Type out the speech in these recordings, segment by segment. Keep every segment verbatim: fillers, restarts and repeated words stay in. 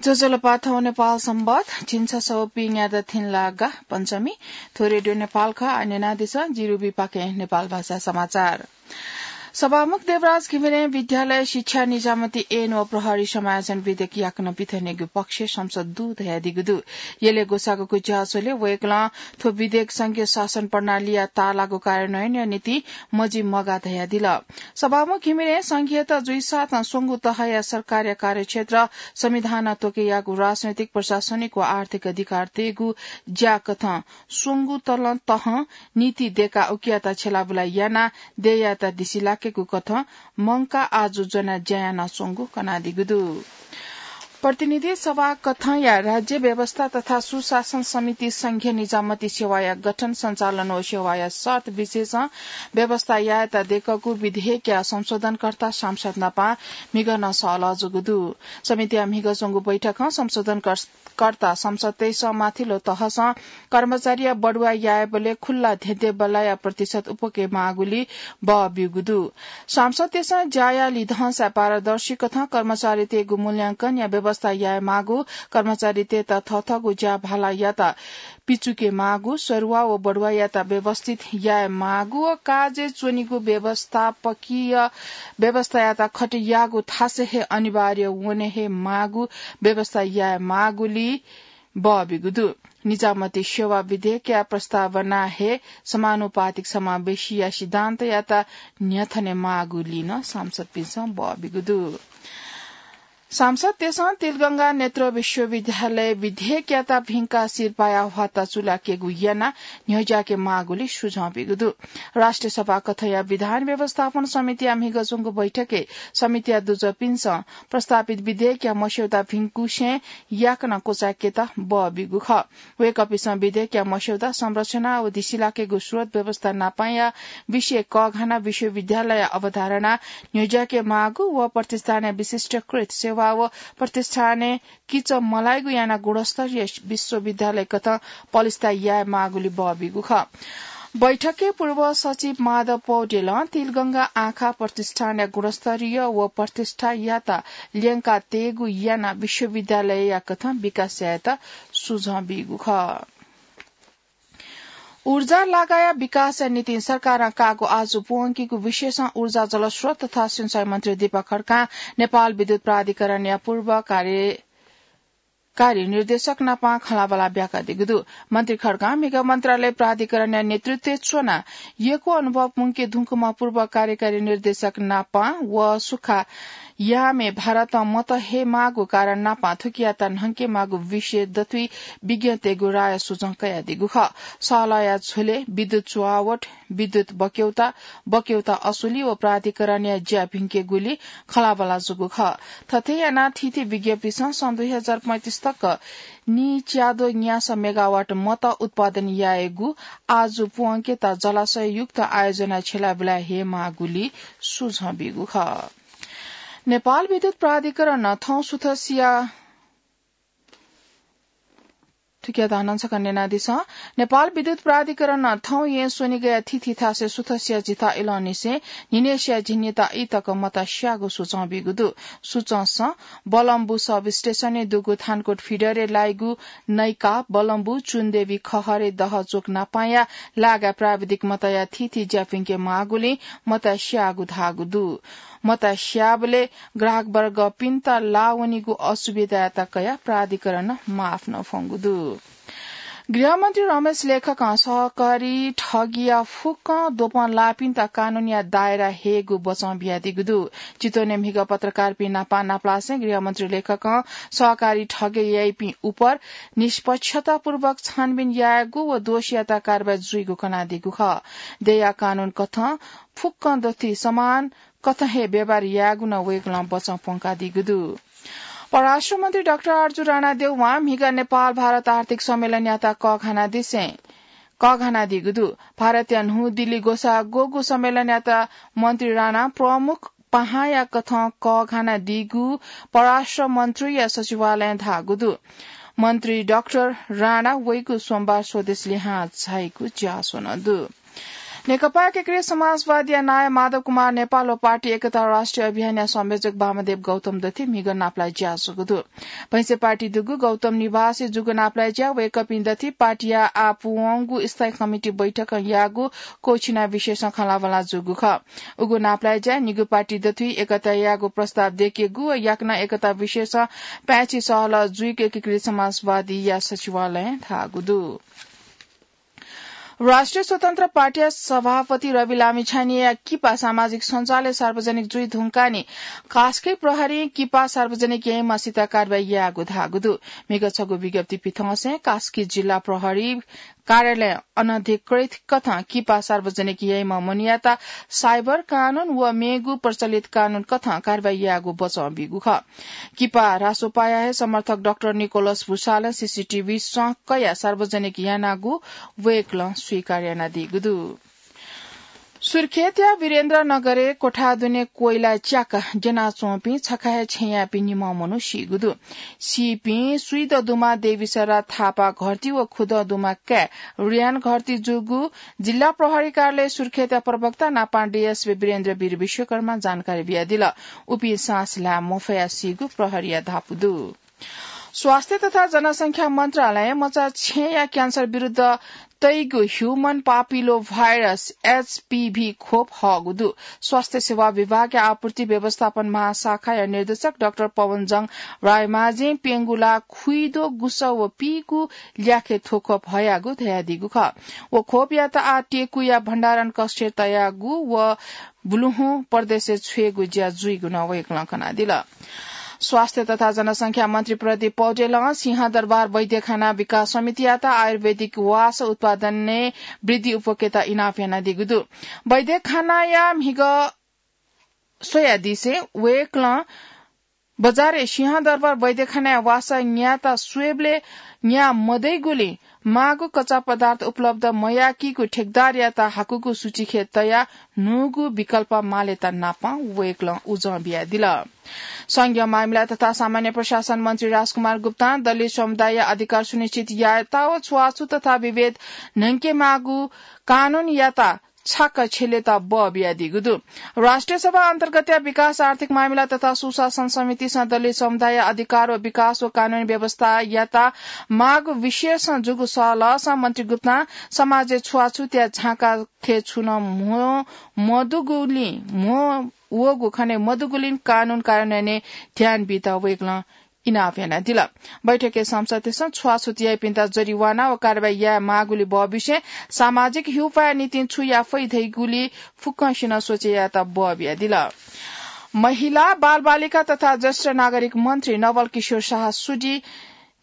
ज्वजलपा, थौं नेपाल संवत् झिंछसः व पीन्यादँ थिंलागा पञ्चमी। थ्व रेडियो नेपाल खः। आः न्यनादिसँ, जि रुबी पाखें नेपाल भाषा समाचार। सभामुख देवराज घिमिरें विद्यालय शिक्षा निजामती ऐन व प्रहरी समायोजन विधेयक याकनं पिथनेगु पक्षय् संसद दु धयादीगु दु। यलय् ग्वसाःगु गुज्याःस्वलय् वय्कलं थ्व विधेयक संघीय शासन प्रणालीया ताःलाःगु कार्यान्वयनया निंतिं मजिमगा धयादिल। सभामुख घिमिरें संघीयता जुइसाथं स्वंगू तहया सरकारया कार्यक्षेत्र संविधानं त्वःकेयागु राजनैतिक, प्रशासनिक व आर्थिक अधिकार तयेगु ज्याकथं स्वंगू तलं तहं नीति दय्काः उकियात छ्यलाबुला यानाः देय्यात दिसिलाकेगु कथं मंकाः आजु ज्वनाः ज्या यानाच्वंगु कनादीगु दु। प्रतिनिधि सभा कथंया राज्य व्यवस्था तथा सुशासन समिति संघीय निजामती सेवाया गठन, सञ्चालन व सेवाया शर्त विशेषं व्यवस्था यायेत दय्कूगु विधेयकया संशोधनकर्ता सांसद नापं म्हिगः नं सहलह जूगु दु। समितिया म्हिगः च्वंगु बैठकं संशोधनकर्ता सांसदतय्सं माथिल्लो तहसं कर्मचारीया बढुवा यायेबलय् खुल्ला धेंधेंबल्लाया प्रतिशत उप्वके माःगुलिं बः ब्यूगु दु। सांसदतय्सं ज्याया लिधंसाय् पारदर्शी कथं कर्मचारीतय्गु मूल्यांकनया व्यवस्था याये माःगु, कर्मचारीतय्त थःथःगु ज्या भालायात पिचुके माःगु, सरुवा व बढुवायात व्यवस्थित याये माःगु व काजय् च्वनीगु व्यवस्थापकीय व्यवस्थायात खटेयाःगु थासय् हे अनिवार्य वने हे माःगु व्यवस्था याये माःगुलिं बः ब्यूगु दु। निजामती सेवा विधेयकया प्रस्तावनाय् हे समानुपातिक समावेशीया सिद्धान्तयात न्ह्यथने माःगुलिं नं सांसदपिन्सं बः ब्यूगु दु। सांसदतय्सं तिलगंगा नेत्र विश्वविद्यालय विधेयकयात भिंकाः सिरपाःया ह्वाता चुलाकेगु यानाः न्ह्यज्याके माःगुलिं सुझाव ब्यूगु दु। राष्ट्रिय सभा कथंया विधान व्यवस्थापन समितिया म्हिगः च्वंगु बैठकय् समितिया दुजःपिन्सं प्रस्तावित विधेयकया मस्यौदा भिंकुसें याकनं क्वचाय्केत बः ब्यूगु खः। वय्कःपिन्सं विधेयकया मस्यौदा, संरचना व दिसिलाकेगु स्रोत व्यवस्था नापंया विषय कःघानाः विश्वविद्यालयया अवधारणा न्ह्यज्याके माःगु व प्रतिष्ठानया विशिष्टीकृत सेवा व प्रतिष्ठानय् किचा मलाइगु यानाः गुणस्तरीय विश्वविद्यालय कथं पलिस्था याये माःगुलिं बः ब्यूगु खः। बैठकय् पूर्व सचिव माधव पौडेलं तिलगंगा आँखा प्रतिष्ठानया गुणस्तरीय व प्रतिष्ठायात ल्यंका तयेगु यानाः विश्वविद्यालयया कथं विकास यायेत सुझाव ब्यूगु खः। ऊर्जा लागाया विकासया निंतिं सरकारं काःगु आजु प्वंकीगु विशेषं ऊर्जा जलस्रोत तथा सिँचाइ मन्त्री दीपक खड्कां नेपाल विद्युत प्राधिकरणया पूर्व कार्य-, कार्य निर्देशक नापं खँल्हाबल्हा ब्याकादीगु दु। मन्त्री खड्कां म्हिगः मन्त्रालय प्राधिकरणया नेतृत्वय् च्वनाः यक्व अनुभव मुंके धुंकूम्ह पूर्व कार्यकारी निर्देशक नापं व सुखा यामय् भारतं मत हये माःगु कारण नापं थुकियात न्हंके माःगु विषय दथुइ विज्ञतय्गु राय सुझाव कयादीगु खः। सहलहया झ्वलय् विद्युत चुहावट, विद्युत बक्यौता, बक्यौता असुली व प्राधिकरणया ज्या भिंकेगुलिं खँल्हाबल्हा जूगु खः। थथे यानाः थीथी विज्ञपिन्सं सन् दुई हजार पैंतिस तक नीच्याद्वः न्यासः मेगावाट मत उत्पादन यायेगु आजु प्वंकेत जलाशययुक्त आयोजनाय् छ्यलाबुला हये माःगुलिं सुझाव ब्यूगु खः। नेपाल विद्युत प्राधिकरणं थौं सुथसिया थुकिया धानं छकः न्यनादिसँ। नेपाल विद्युत प्राधिकरणं थौं येँ स्वनिगःया थीथी थासय् सुथसिया झिता इलंनिसें न्हिनय्सिया झिंनिता ई तक मत स्याःगु सुचं ब्यूगु दु। सुचंसं बलम्बु सब स्टेशनय् दुगु थानकोट फिडरय् लाइगु नैका, बलम्बु, चुनदेवी खहरे दह चोक नापांया लागाय् प्राविधिक मतया थीथी ज्या भिंके माःगुलिं मत स्याःगु धाःगु दु। मत स्याःबलय् ग्राहकवर्गपिन्त लाः वनीगु असुविधायात कयाः प्राधिकरणं माफ नं फ्वंगु दु। गृहमन्त्री रमेश लेखकं सहकारी ठगीया फुक्कं द्वपं लाःपिन्त कानूनया दायरा हयेगु बचं बियादीगु दु। चितवनय् म्हिगः पत्रकारपिं नापं नापलासें गृहमन्त्री लेखकं सहकारी ठगी याइपिं उपर निष्पक्षतापूर्वक छानबिन यायेगु व दोषीयात कारवाही जुइगु कनादीगु खः। देय्या कानून कथं फुक्कं दथुइ समान कथं हे व्यवहार यायेगु नं वय्कलं बचं प्वंकादीगु दु। परराष्ट्र मन्त्री डाक्टर आरजु राणाद्यःवां म्हिगः नेपाल भारत आर्थिक सम्मेलनयात कःघानादिसें, कःघानादीगु दु। भारतया न्हू दिल्ली ग्वसाः ग्वःगु सम्मेलनयात मन्त्री राणां प्रमुख पाहांया कथं कःघानादीगु परराष्ट्र मन्त्रीया सचिवालयं धाःगु दु। मन्त्री डाक्टर राणा वइगु सोमबार स्वदेश लिहां झाइगु ज्यासः नं दु। नेकपा एकीकृत समाजवादीया नायः माधव कुमार नेपाल व पार्टी एकता राष्ट्रिय अभियानया संयोजक वामदेव गौतम दथुइ म्हिगः नापलाये ज्या जूगु दु। भैंसे पार्टी दुगु गौतम निवासय् जूगु नापलाये ज्या वय्कःपिं दथुइ पार्टीया आः पूवंगु स्थायी कमिटी बैठकं याःगु क्वःछिना विषयसं खँल्हाबल्हा जूगु खः। उगु नापलाये ज्याय् निगू पार्टी दथुइ एकता यायेगु प्रस्ताव दय्केगु व याकनं एकता विषयसं पाय्छि सहलह जुइगु एकीकृत समाजवादीया सचिवालयं धाःगु दु। राष्ट्रिय स्वतन्त्र पार्टीया सभापति रवि लामिछानेया किपा सामाजिक सञ्जालय् सार्वजनिक जुइ धुंकाः नि कास्की प्रहरीं किपा सार्वजनिक याइम्ह सित कारवाही याःगु धाःगु दु। म्हिगः छगू विज्ञप्ति पिथंसें कास्की जिल्ला प्रहरी कार्यालयं अनधिकृत कथं किपा सार्वजनिक याइम्ह मनूयात साइबर कानून व मेगु प्रचलित कानून कथं कारवाही याःगु बचं बीगु खः। किपा रासोपाया हे समर्थक डाक्टर निकोलस भुसालं सीसीटीभी सँ कयाः सार्वजनिक यानागु वय्कलं स्वीकार यानादीगु दु। सुर्खेतया वीरेन्द्रनगरय् कोठा दुने कोइला च्याक द्यनाच्वंपिं छखा हे छेँयापिं निम्ह मनू सीगु दु। सीपिं स्वीदँ दुम्ह देवीसरा थापा घरती व खुदँ दुम्ह काय् रियान घरती जूगु जिल्ला प्रहरी कार्यालय सुर्खेतया प्रवक्ता नापां डीएसपी वीरेन्द्र वीर विश्वकर्मां जानकारी बियादिल। उपिं सास ल्हाये मफयाः सीगु प्रहरीया धापू दु। स्वास्थ्य तथा जनसंख्या मन्त्रालयं मचा छेँया क्यान्सर विरुद्ध तइगु ह्युमन पापिलो भाइरस, एचपीभी, खोप हःगु दु। स्वास्थ्य सेवा विभागया आपूर्ति व्यवस्थापन महाशाखाया निर्देशक डाक्टर पवनजङ रायमाझीं प्यंगुला खुइदो गुसः व पीगु ल्याखय् थ्व खोप हयागु धयादीगु खः। व खोपयात आः टेकुया भण्डारण कक्षय् तयागु व बुलुहुँ प्रदेशय् छ्वयेगु ज्या जुइगु नं वय्कलं कनादिल। स्वास्थ्य तथा जनसंख्या मन्त्री प्रदीप पौडेलं सिंहदरबार वैद्यखाना विकास समितियात आयुर्वेदिक वास उत्पादनय् वृद्धि उपकेत इनाप यानादीगु दु। वैद्यखानाया म्हिगः स्वयादिसें वय्कलं बजारय् सिंहदरबार वैद्यखानाया वासः न्यायेत स्वयेबलय् न्याये मदइगुलिं माःगु कच्चा पदार्थ उपलब्ध मयाकीगु ठेकदारयात हाकुगु सूचीखे तयाः न्हूगु विकल्प मालेत नापं वय्कलं उजं बियादिल। संघीय मामिला तथा सामान्य प्रशासन मन्त्री राजकुमार गुप्तां दलित समुदायया अधिकार सुनिश्चित यायेत व छुवाछुत तथा विभेद न्हय्केमाःगु कानूनयात छाक छ्यलेत बः बियादीगु दु। राष्ट्रिय सभा अन्तर्गतया विकास, आर्थिक मामिला तथा सुशासन समितिसं दलित समुदायया अधिकार व विकास व कानूनी व्यवस्थायात माःगु विषयसं जूगु सहलहसं मन्त्री गुप्तां समाजय् छुवाछुतया झाँकाखे छुं नं म्हो मदुगुलिं, म्हो वःगु खने मदुगुलिं कानून कार्यान्वयनय् ध्यान बीत वय्कलं इनाप यानादिल। बैठकय् सांसदतय्सं छुवाछुत याइपिन्त जरिवाना व कारवाही याये माःगुलि बः बिसें सामाजिक ह्यूपाया निंतिं छु याये फइ धइगुलि फुक्कसिनं सोचे यायेत बः बियादिल। महिला, बालबालिका तथा ज्येष्ठ नागरिक मन्त्री नवल किशोर शाह सुदि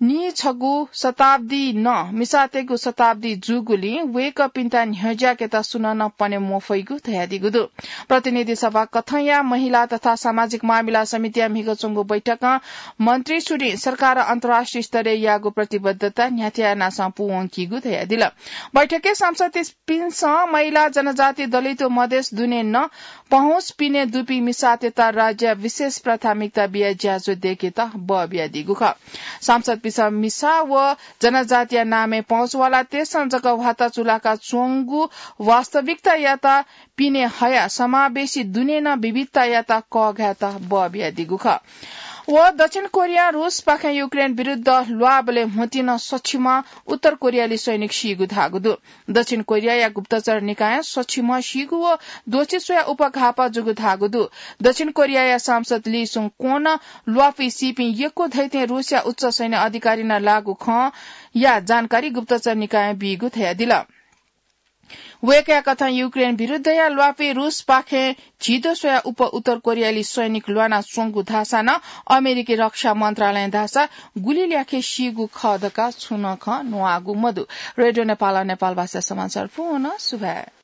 नीछगू शताब्दी नं मिसातय्गु शताब्दी जूगुलिं वय्कःपिन्त न्ह्यज्याकेत सुनं नं पने मफइगु धयादीगु दु। प्रतिनिधि सभा कथंया महिला तथा सामाजिक मामिला समितिया म्हिगः च्वंगु बैठकं मन्त्री सुदिं सरकारं अन्तर्राष्ट्रिय स्तरय् याःगु प्रतिबद्धता न्ह्याथे यानाः सं पूवंकीगु धयादिल। बैठकय् सांसदपिन्सं महिला, जनजाति, दलित व मधेस दुने नं पहुँच पिने दुपिं मिसातय्त राज्यया विशेष प्राथमिकता बियाः ज्याझ्वः दय्केत बः बियादीगु खः। सांसदपिन्सं मिसा व जनजातिया नामय् पहुँचवालातय्सं जक ह्वाता चुलाका च्वंगु वास्तविकतायात पिने हयाः समावेशी दुने नं विविधतायात कःघायेत बः बियादीगु खः। व दक्षिण कोरियां रूसपाखें युक्रेन विरुद्ध ल्वाःबलय् ह्वतिं नं सछिम्ह उत्तर कोरियाली सैनिक सीगु धाःगु दु। दक्षिण कोरियाया गुप्तचर निकायं सछिम्ह सीगु व द्वःछि स्वयाः उपघाःपा जूगु धाःगु दु। दक्षिण कोरियाया सांसद ली सुङ क्वं नं ल्वापुइ सीपिं यक्व धइथें रूसया उच्च सैन्य अधिकारी नं लाःगु खँया जानकारी गुप्तचर निकायं बीगु धयादिल। वय्कःया कथं युक्रेन विरुद्धया ल्वापुइ रूसपाखें झिद्वः स्वयाः उप उत्तर कोरियाली सैनिक ल्वानाच्वंगु धाःसा नं अमेरिकी रक्षा मन्त्रालयं धाःसा गुलि ल्याखय् सीगु खः धकाः छुं नं खँ न्वाःगु मदु। रेडियो नेपालं नेपालभाषा समाचार पूवं सुभाय्।